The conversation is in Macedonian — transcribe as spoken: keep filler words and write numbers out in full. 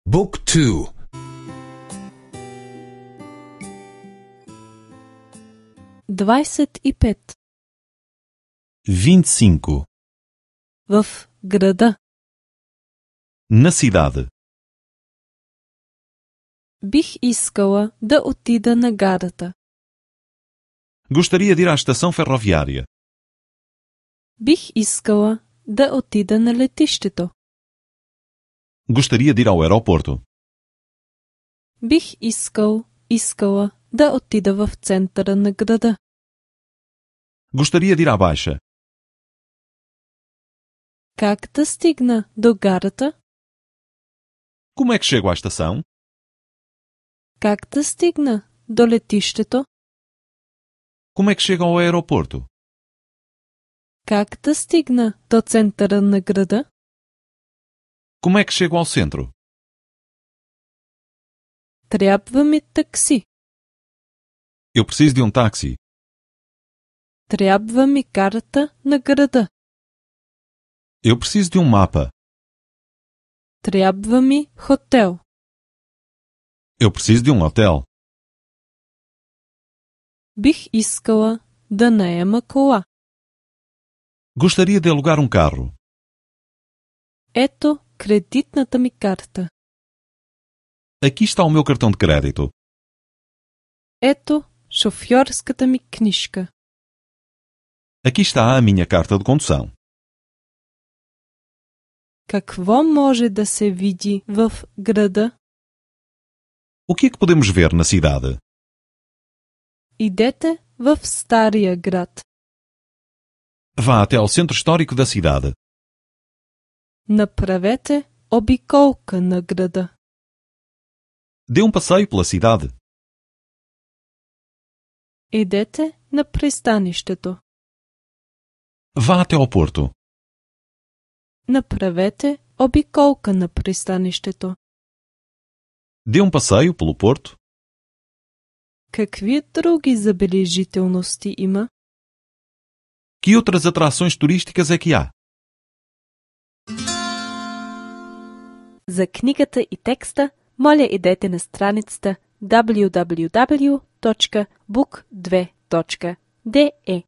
Book two. дваесет и пет. vinte e cinco. В града. Na cidade. Бих искала да отида на гарата. Gostaria de ir à estação ferroviária. Бих искала да отида на летището. Gostaria de ir ao aeroporto. Бих искал, искала да отида в центъра на града. Gostaria de ir à Baixa. Как да стигна до гарата? Como é que chego à estação? Как да стигна до летището? Como é que chego ao aeroporto? Как да стигна до центъра на града? Como é que chego ao centro? Трябва ми такси. Eu preciso de um táxi. Трябва ми карта на града. Eu preciso de um mapa. Трябва ми хотел. Eu preciso de um hotel. Бих искала да наема кола. Gostaria de alugar um carro. Ето кредитната ми карта. Aqui está o meu cartão de crédito. Ето шофьорската ми книжка. Aqui está a minha carta de condução. Какво може да се види в града? O que é que podemos ver na cidade? Идете в стария град. Vá até ao centro histórico da cidade. Направете обиколка на града. Dê um passeio pela cidade. Идете на пристанището. Vá até ao porto. Направете обиколка на пристанището. Dê um passeio pelo porto. Какви други забележителности има? Que outras atrações turísticas é que há? За книгата и текста, моля идете на страницата дабљу дабљу дабљу точка бук две точка де е.